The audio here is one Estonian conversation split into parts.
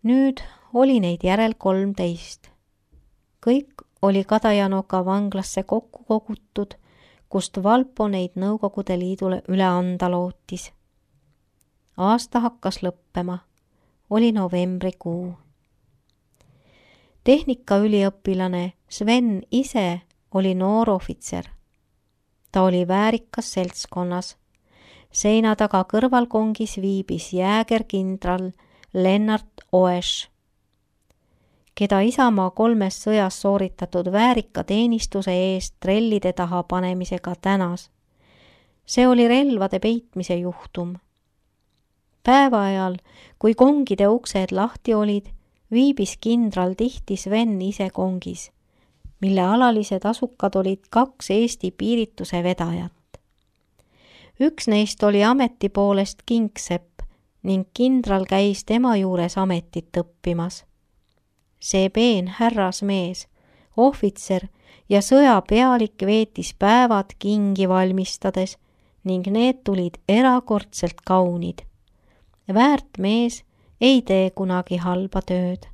Nüüd oli neid järel 13. Kõik oli Kadajanoka vanglasse kokku kogutud, kust Valpo neid Nõukogude Liidule üle anda lootis. Aasta hakkas lõppema. Oli novembrikuu. Tehnikaüliõpilane Sven ise oli noor ohvitser. Ta oli väärikas seltskonnas. Seina taga kõrvalkongis viibis jäägerkindral Lennart Oesch, keda Isamaa 3 sõjas sooritatud väärika teenistuse eest trellide taha panemisega tänas. See oli relvade peitmise juhtum. Päeva ajal, kui kongide uksed lahti olid, viibis kindral tihti Sven ise kongis, mille alalised asukad olid 2 Eesti piirituse vedajat. Üks neist oli ameti poolest kingsepp ning kindral käis tema juures ametit õppimas. See peen härrasmees, ohvitser ja sõjapealik veetis päevad kingi valmistades ning need tulid erakordselt kaunid. Väärt mees ei tee kunagi halba tööd.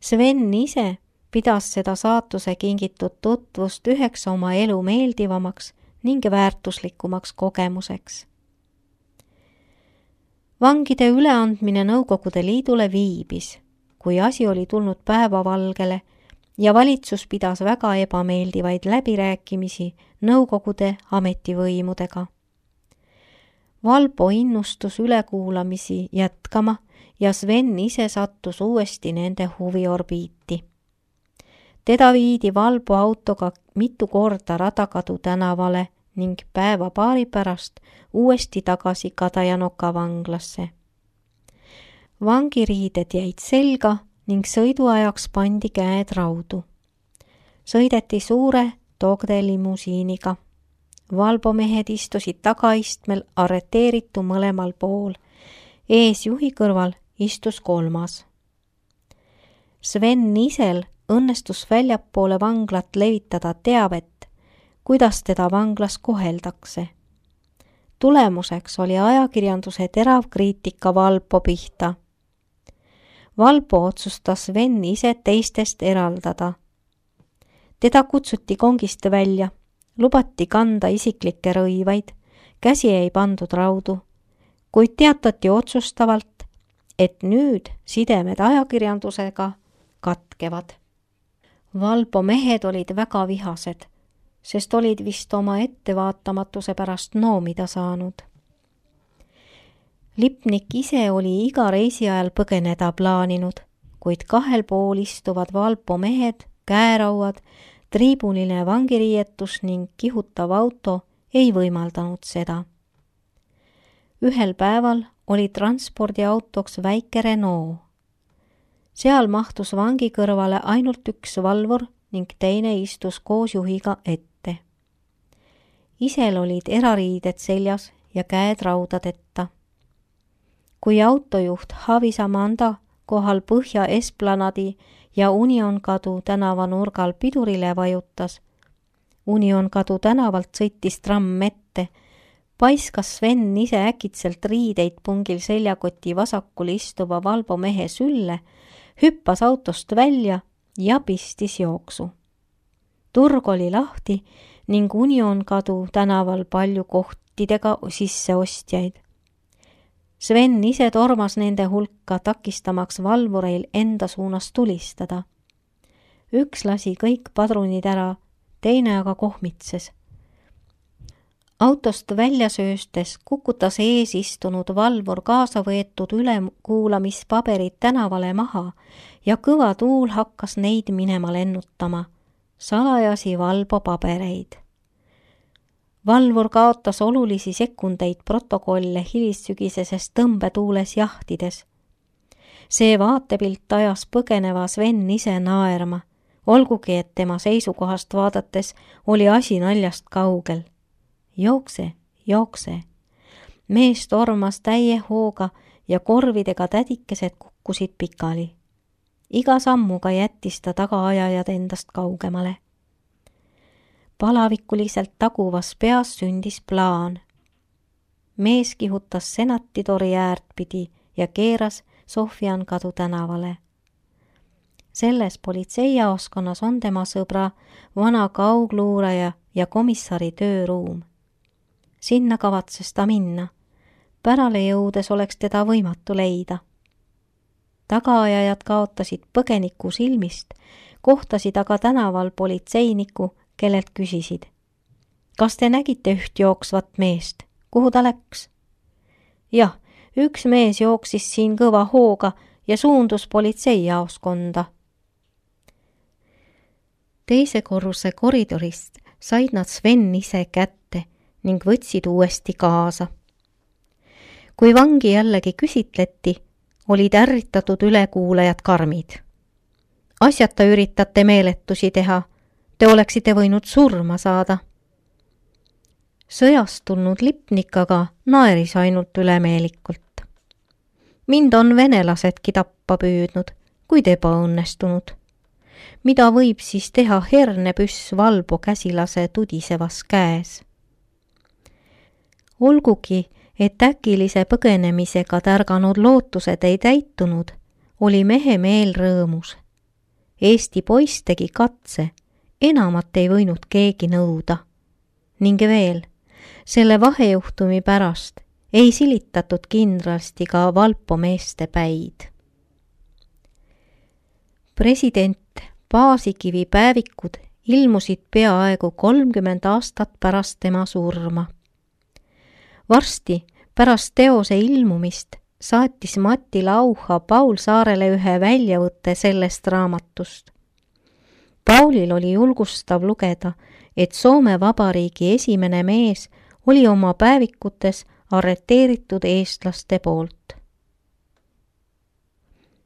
Sven ise pidas seda saatuse kingitud tutvust üheks oma elu meeldivamaks ning väärtuslikumaks kogemuseks. Vangide üleandmine Nõukogude Liidule viibis, kui asi oli tulnud päevavalgele ja valitsus pidas väga ebameeldivaid läbirääkimisi Nõukogude ametivõimudega. Valpo innustus ülekuulamisi jätkama ja Sven ise sattus uuesti nende huviorbiiti. Teda viidi Valpo autoga mitu korda Radakadu tänavale ning päeva paari pärast uuesti tagasi Kadajanoka vanglasse. Vangiriided jäid selga ning sõiduajaks pandi käed raudu. Sõideti suure Togde limusiiniga. Valpo mehed istusid tagaistmel arreteeritu mõlemal pool. Ees juhi kõrval istus 3. Sven isel õnnestus väljapoole vanglat levitada teavet, kuidas teda vanglas koheldakse. Tulemuseks oli ajakirjanduse terav kriitika Valpo pihta. Valpo otsustas Sven ise teistest eraldada. Teda kutsuti kongist välja, lubati kanda isiklikke rõivaid, käsi ei pandud raudu, kuid teatati otsustavalt, et nüüd sidemed ajakirjandusega katkevad. Valpo mehed olid väga vihased, sest olid vist oma ettevaatamatuse pärast noomida saanud. Lipnik ise oli iga reisi ajal põgeneda plaaninud, kuid 2 pool istuvad Valpo mehed, käerauad, triibuniline vangiriietus ning kihutav auto ei võimaldanud seda. Ühel päeval oli transpordiautoks väike Renault. Seal mahtus vangi kõrvale ainult üks valvur ning teine istus koos juhiga ette. Isel olid erariided seljas ja käed raudadetta. Kui autojuht Havisamanda kohal Põhja Esplanadi ja Unionkadu tänava nurgal pidurile vajutas, Unionkadu tänavalt sõitis tramm ette, paiskas Sven ise äkitselt riideid pungil seljakoti vasakul istuva Valpo mehe sülle, hüppas autost välja ja pistis jooksu. Turg oli lahti ning Unionkadu tänaval palju kohtidega sisseostjaid. Sven ise tormas nende hulka, takistamaks valvureil enda suunas tulistada. Üks lasi kõik padrunid ära, teine aga kohmitses. Autost välja sööstes kukutas ees istunud valvur kaasa võetud ülekuulamispaberid tänavale maha ja kõva tuul hakkas neid minema lennutama, salajasi Valpo pabereid. Valvur kaotas olulisi sekundeid protokolle hilissügiseses tõmbetuules jahtides. See vaatepilt ajas põgeneva Sven ise naerma, olgugi et tema seisukohast vaadates oli asi naljast kaugel. Jookse, jookse. Mees tormas täie hooga ja korvidega tädikesed kukkusid pikali. Iga sammuga jättis ta tagaajajad endast kaugemale. Palavikuliselt taguvas peas sündis plaan. Mees kihutas senatitori äärt pidi ja keeras Sofian kadu tänavale. Selles politseijaoskonnas on tema sõbra, vana kaugluuraja ja komissari tööruum. Sinna kavatses ta minna. Pärale jõudes oleks teda võimatu leida. Tagaajajad kaotasid põgeniku silmist, kohtasid aga tänaval politseiniku, kellelt küsisid. Kas te nägite üht jooksvat meest? Kuhu ta läks? Jah, üks mees jooksis siin kõva hooga ja suundus politseijaoskonda. Teise korruse koridorist said nad Sven ise kätte ning võtsid uuesti kaasa. Kui vangi jällegi küsitleti, olid ärritatud ülekuulajad karmid. Asjata üritate meeletusi teha, te oleksite võinud surma saada. Sõjast tulnud lipnik aga naeris ainult ülemeelikult. Mind on venelasedki tappa püüdnud, kuid ebaõnnestunud. Mida võib siis teha hernepüss Valbo käsilase tudisevas käes? Olgugi, et äkilise põgenemisega tärganud lootused ei täitunud, oli mehe meel rõõmus. Eesti poiss tegi katse, enamat ei võinud keegi nõuda. Ning veel, selle vahejuhtumi pärast ei silitatud kindralsti ka Valpo meeste päid. President Paasikivi päevikud ilmusid peaaegu 30 aastat pärast tema surma. Varsti pärast teose ilmumist saatis Mati Lauha Paul Saarele ühe väljavõtte sellest raamatust. Paulil oli julgustav lugeda, et Soome Vabariigi esimene mees oli oma päevikutes arreteeritud eestlaste poolt.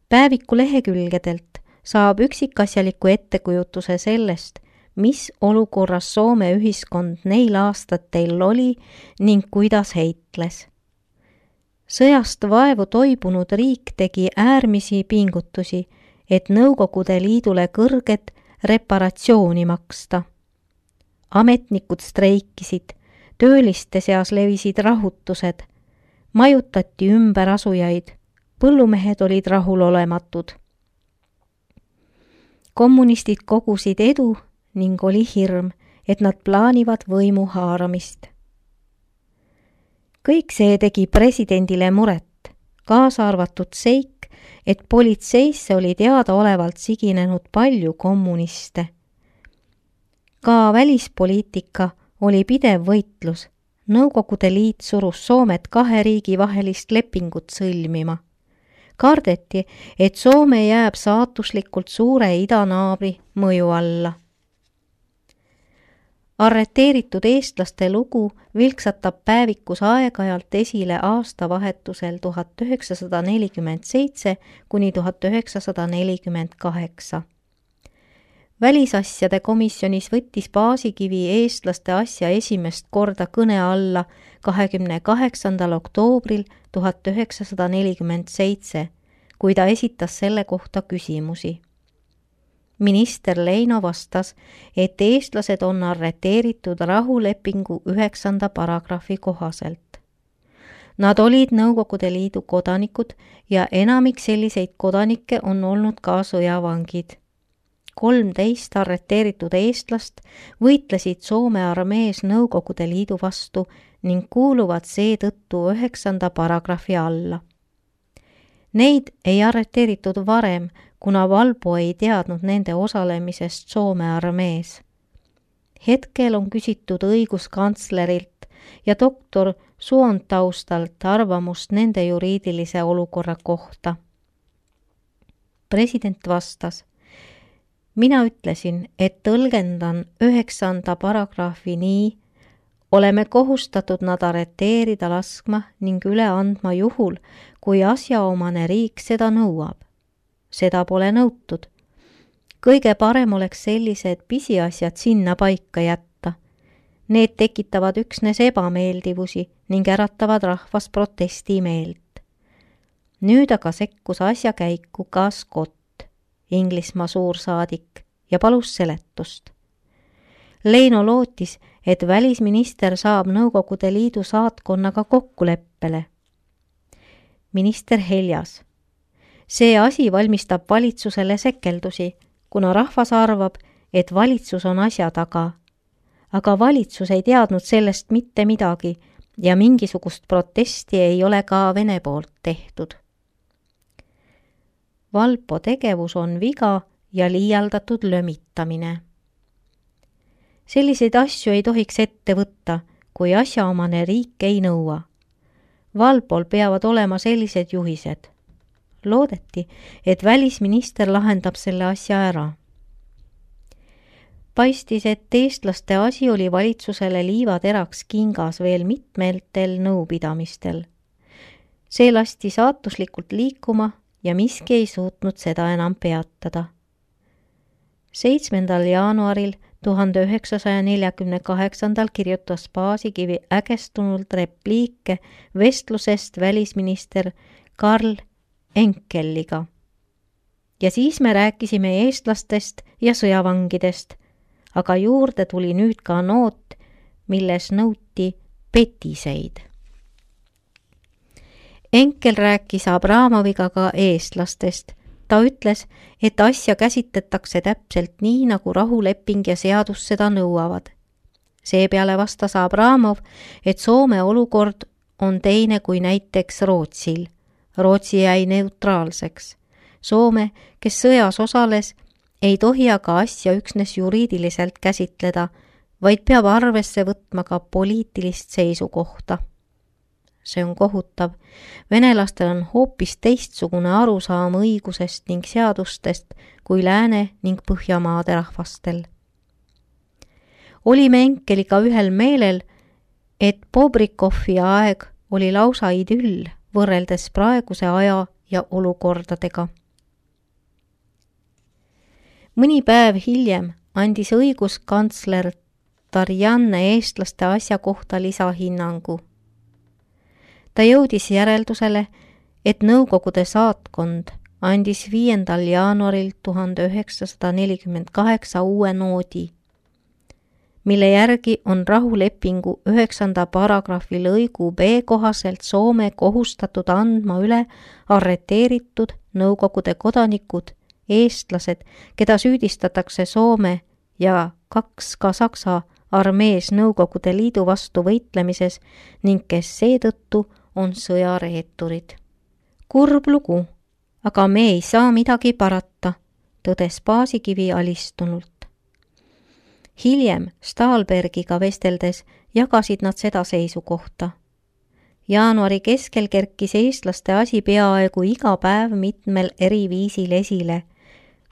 Päeviku lehekülgedelt saab üksikasjaliku ettekujutuse sellest, mis olukorras Soome ühiskond neil aastatel oli ning kuidas heitles. Sõjast vaevu toibunud riik tegi äärmisi pingutusi, et Nõukogude Liidule kõrget reparatsiooni maksta. Ametnikud streikisid, tööliste seas levisid rahutused, majutati ümber asujaid, põllumehed olid rahulolematud. Kommunistid kogusid edu ning oli hirm, et nad plaanivad võimu haaramist. Kõik see tegi presidendile muret, kaasa arvatud seik, et politseisse oli teadaolevalt siginenud palju kommuniste. Ka välispoliitika oli pidev võitlus. Nõukogude Liit surus Soomet kahe riigi vahelist lepingut sõlmima. Kardeti, et Soome jääb saatuslikult suure idanaabri mõju alla. Arreteeritud eestlaste lugu vilksatab päevikus aeg-ajalt esile aastavahetusel 1947 kuni 1948. Välisasjade komisjonis võttis Paasikivi eestlaste asja esimest korda kõne alla 28. oktoobril 1947, kui ta esitas selle kohta küsimusi. Minister Leino vastas, et eestlased on arreteeritud rahulepingu 9. paragrahvi kohaselt. Nad olid Nõukogude Liidu kodanikud ja enamik selliseid kodanikke on olnud ka sõjavangid. 13 arreteeritud eestlast võitlesid Soome armees Nõukogude Liidu vastu ning kuuluvad seetõttu 9. paragrahvi alla. Neid ei arreteeritud varem, kuna Valbo ei teadnud nende osalemisest Soome armees. Hetkel on küsitud õiguskantslerilt ja doktor Suontaustalt arvamust nende juriidilise olukorra kohta. President vastas: mina ütlesin, et tõlgendan 9. paragrahvi nii, oleme kohustatud nad arreteerida laskma ning üle andma juhul, kui asjaomane riik seda nõuab. Seda pole nõutud. Kõige parem oleks sellised pisiasjad sinna paika jätta. Need tekitavad üksnes ebameeldivusi ning äratavad rahvas protestimeelt. Nüüd aga sekkus asja käiku ka Scott, Inglismaa suursaadik, ja palus seletust. Leino lootis, et välisminister saab Nõukogude Liidu saatkonnaga kokkuleppele. Minister heljas: See asi valmistab valitsusele sekeldusi, kuna rahvas arvab, et valitsus on asja taga. Aga valitsus ei teadnud sellest mitte midagi ja mingisugust protesti ei ole ka Vene poolt tehtud. Valpo tegevus on viga ja liialdatud lömitamine. Selliseid asju ei tohiks ette võtta, kui asjaomane riik ei nõua. Valpol peavad olema sellised juhised. Loodeti, et välisminister lahendab selle asja ära. Paistis, et eestlaste asi oli valitsusele liivateraks kingas veel mitmetel nõupidamistel. See lasti saatuslikult liikuma ja miski ei suutnud seda enam peatada. 7. jaanuaril 1948 kirjutas Paasikivi ägestunult repliike vestlusest välisminister Karl Enkeliga. Ja siis me rääkisime eestlastest ja sõjavangidest, aga juurde tuli nüüd ka noot, milles nõuti petiseid. Enkel rääkis Abramoviga ka eestlastest. Ta ütles, et asja käsitletakse täpselt nii, nagu rahuleping ja seadus seda nõuavad. Seepeale vastas Abramov, et Soome olukord on teine kui näiteks Rootsil. Rootsi jäi neutraalseks. Soome, kes sõjas osales, ei tohi aga asja üksnes juriidiliselt käsitleda, vaid peab arvesse võtma ka poliitilist seisukohta. See on kohutav. Venelastel on hoopis teistsugune arusaam õigusest ning seadustest kui Lääne ning Põhjamaade rahvastel. Olime Enkeliga ühel meelel, et Bobrikovi aeg oli lausa idüll võrreldes praeguse aja ja olukordadega. Mõni päev hiljem andis õiguskantsler Tarjanne eestlaste asja kohta lisahinnangu. Ta jõudis järeldusele, et Nõukogude saatkond andis 5. jaanuaril 1948 uue noodi, mille järgi on rahulepingu 9. paragrahvi lõigu B kohaselt Soome kohustatud andma üle arreteeritud Nõukogude kodanikud, eestlased, keda süüdistatakse Soome ja 2 ka Saksa armees Nõukogude Liidu vastu võitlemises ning kes seetõttu on sõjareeturid. Kurb lugu, aga me ei saa midagi parata, tõdes Paasikivi alistunult. Hiljem Stahlbergiga vesteldes jagasid nad seda seisukohta. Jaanuari keskel kerkis eestlaste asi peaaegu iga päev mitmel eri viisil esile,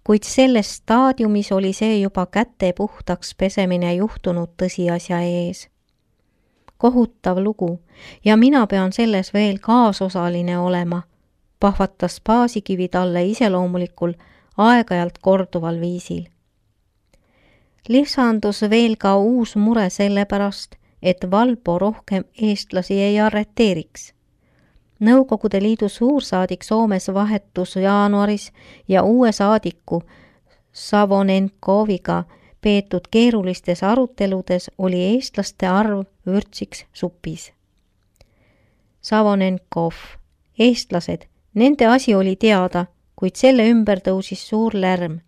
kuid selles staadiumis oli see juba käte puhtaks pesemine juhtunud tõsiasja ees. Kohutav lugu ja mina pean selles veel kaasosaline olema, pahvatas Paasikivi talle iseloomulikul aeg-ajalt korduval viisil. Lisandus veel ka uus mure sellepärast, et Valpo rohkem eestlasi ei arreteeriks. Nõukogude Liidu suursaadik Soomes vahetus jaanuaris ja uue saadiku Savonenkoviga peetud keerulistes aruteludes oli eestlaste arv vürtsiks supis. Savonenkov, eestlased, nende asi oli teada, kuid selle ümber tõusis suur lärm.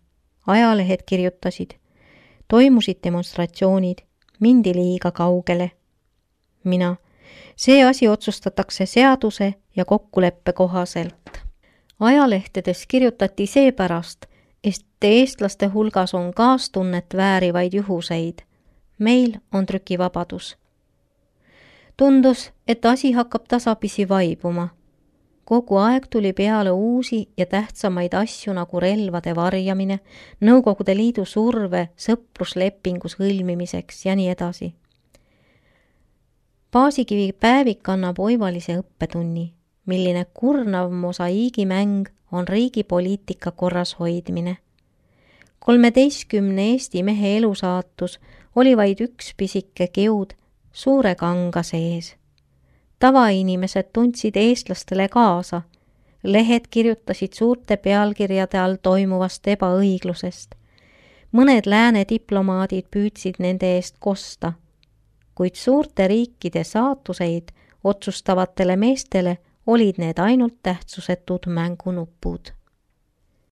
Ajalehed kirjutasid. Toimusid demonstratsioonid, mindi liiga kaugele. Mina, see asi otsustatakse seaduse ja kokkuleppe kohaselt. Ajalehtedes kirjutati seepärast, et eestlaste hulgas on kaastunnet väärivaid juhuseid. Meil on trükivabadus. Tundus, et asi hakkab tasapisi vaibuma. Kogu aeg tuli peale uusi ja tähtsamaid asju nagu relvade varjamine, Nõukogude Liidu surve sõpruslepingu sõlmimiseks ja nii edasi. Paasikivi päevik annab oivalise õppetunni, milline kurnav mosaiigimäng on riigi poliitika korras hoidmine. 13 Eesti mehe elusaatus oli vaid üks pisike kiud suure kanga sees. Tavainimesed tundsid eestlastele kaasa. Lehed kirjutasid suurte pealkirjade all toimuvast ebaõiglusest. Mõned lääne diplomaadid püüdsid nende eest kosta, kuid suurte riikide saatuseid otsustavatele meestele olid need ainult tähtsusetud mängunupud.